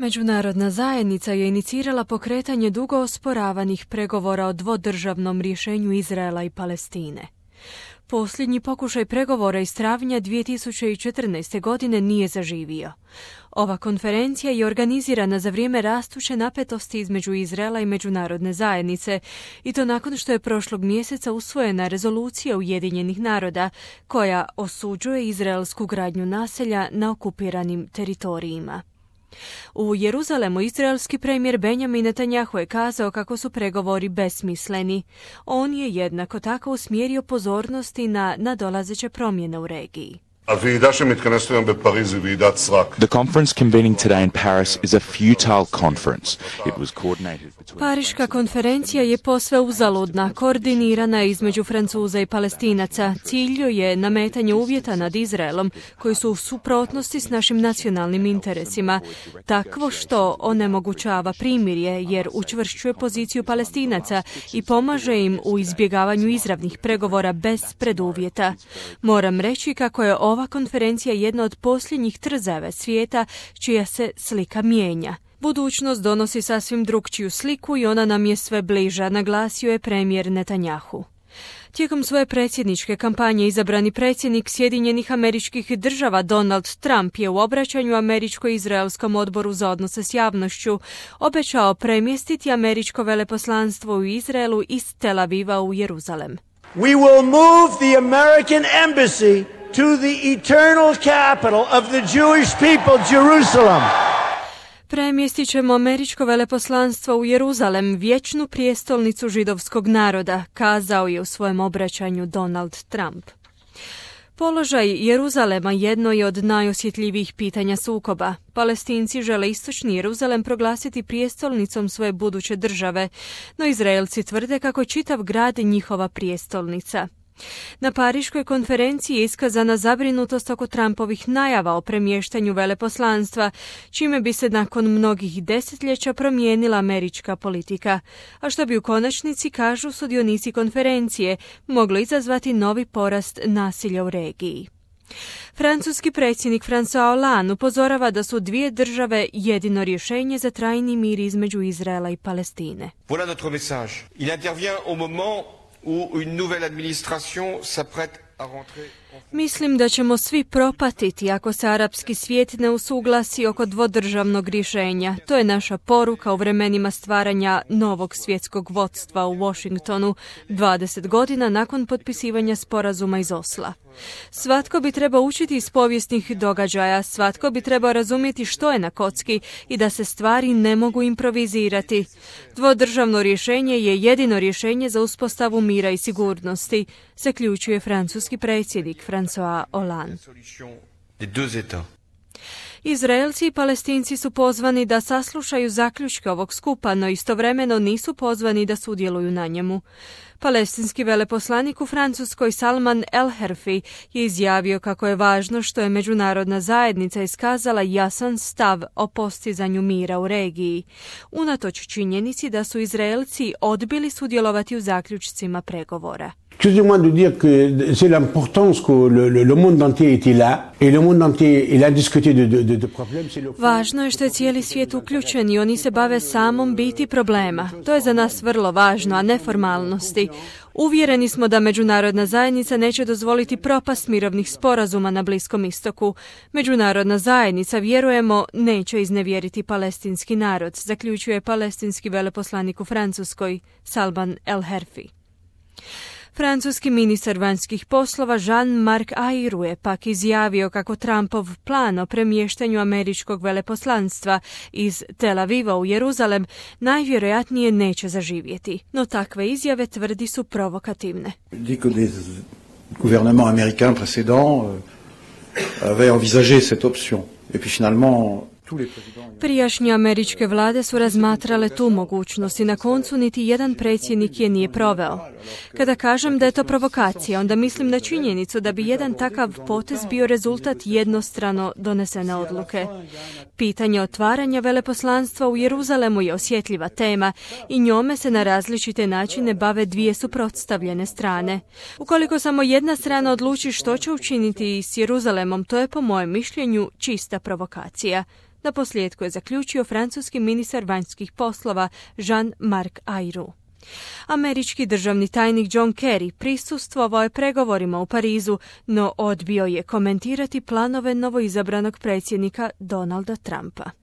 Međunarodna zajednica je inicirala pokretanje dugo osporavanih pregovora o dvodržavnom rješenju Izraela i Palestine. Posljednji pokušaj pregovora iz travnja 2014. godine nije zaživio. Ova konferencija je organizirana za vrijeme rastuće napetosti između Izraela i međunarodne zajednice, i to nakon što je prošlog mjeseca usvojena rezolucija Ujedinjenih naroda koja osuđuje izraelsku gradnju naselja na okupiranim teritorijima. U Jeruzalemu izraelski premijer Benjamin Netanjahu je kazao kako su pregovori besmisleni. On je jednako tako usmjerio pozornosti na nadolazeće promjene u regiji. The conference convening today in Paris is a futile conference. It was coordinated between... Pariška konferencija je posve uzaludna, koordinirana između Francuza i Palestinaca. Cilj je nametanje uvjeta nad Izraelom koji su u suprotnosti s našim nacionalnim interesima, takvo što onemogućava primirje jer učvršćuje poziciju Palestinaca i pomaže im u izbjegavanju izravnih pregovora bez preduvjeta. Moram reći kako je ova konferencija jedna od posljednjih trzava svijeta čija se slika mijenja. Budućnost donosi sasvim drukčiju sliku i ona nam je sve bliža, naglasio je premijer Netanjahu. Tijekom svoje predsjedničke kampanje izabrani predsjednik Sjedinjenih Američkih Država Donald Trump je u obraćanju Američko-izraelskom odboru za odnose s javnošću obećao premjestiti američko veleposlanstvo u Izraelu iz Tel Aviva u Jeruzalem. We will move the American embassy to the eternal capital of the Jewish people, Jerusalem. Premjestit ćemo američko veleposlanstvo u Jeruzalem, vječnu prijestolnicu židovskog naroda, kazao je u svojem obraćanju Donald Trump. Položaj Jeruzalema jedno je od najosjetljivijih pitanja sukoba. Palestinci žele istočni Jeruzalem proglasiti prijestolnicom svoje buduće države, no Izraelci tvrde kako je čitav grad njihova prijestolnica. Na Pariškoj konferenciji je iskazana zabrinutost oko Trumpovih najava o premještanju veleposlanstva, čime bi se nakon mnogih desetljeća promijenila američka politika, a što bi u konačnici, kažu sudionici konferencije, moglo izazvati novi porast nasilja u regiji. Francuski predsjednik François Hollande upozorava da su dvije države jedino rješenje za trajni mir između Izraela i Palestine. Voilà notre message. Il intervient au moment où une nouvelle administration s'apprête à rentrer. Mislim da ćemo svi propatiti ako se arapski svijet ne usuglasi oko dvodržavnog rješenja. To je naša poruka u vremenima stvaranja novog svjetskog vodstva u Washingtonu 20 godina nakon potpisivanja sporazuma iz Osla. Svatko bi trebao učiti iz povijesnih događaja, svatko bi trebao razumjeti što je na kocki i da se stvari ne mogu improvizirati. Dvodržavno rješenje je jedino rješenje za uspostavu mira i sigurnosti, zaključuje francuski predsjednik François Hollande. Izraelci i Palestinci su pozvani da saslušaju zaključke ovog skupa, no istovremeno nisu pozvani da sudjeluju na njemu. Palestinski veleposlanik u Francuskoj Salman El-Herfi je izjavio kako je važno što je međunarodna zajednica iskazala jasan stav o postizanju mira u regiji, unatoč činjenici da su Izraelci odbili sudjelovati u zaključcima pregovora. Excusez-moi de dire que c'est l'importance que le monde entier était là et le monde entier il a discuté de problèmes. Važno je što je cijeli svijet uključen i oni se bave samom biti problema. To je za nas vrlo važno, a ne formalnosti. Uvjereni smo da međunarodna zajednica neće dozvoliti propast mirovnih sporazuma na Bliskom istoku. Međunarodna zajednica, vjerujemo, neće iznevjeriti palestinski narod, zaključuje palestinski veleposlanik u Francuskoj Salman El-Herfi. Francuski ministar vanjskih poslova Jean-Marc Ayrault je pak izjavio kako Trumpov plan o premještanju američkog veleposlanstva iz Tel Aviva u Jeruzalem najvjerojatnije neće zaživjeti. No takve izjave, tvrdi, su provokativne. Gouvernement américain précédent avait envisagé cette option. Et puis finalement Prijašnje američke vlade su razmatrale tu mogućnost i na koncu niti jedan predsjednik je nije proveo. Kada kažem da je to provokacija, onda mislim na činjenicu da bi jedan takav potez bio rezultat jednostrano donesene odluke. Pitanje otvaranja veleposlanstva u Jeruzalemu je osjetljiva tema i njome se na različite načine bave dvije suprotstavljene strane. Ukoliko samo jedna strana odluči što će učiniti s Jeruzalemom, to je po mojem mišljenju čista provokacija, Na posljedku je zaključio francuski ministar vanjskih poslova Jean-Marc Ayrault. Američki državni tajnik John Kerry prisustvovao je pregovorima u Parizu, no odbio je komentirati planove novoizabranog predsjednika Donalda Trumpa.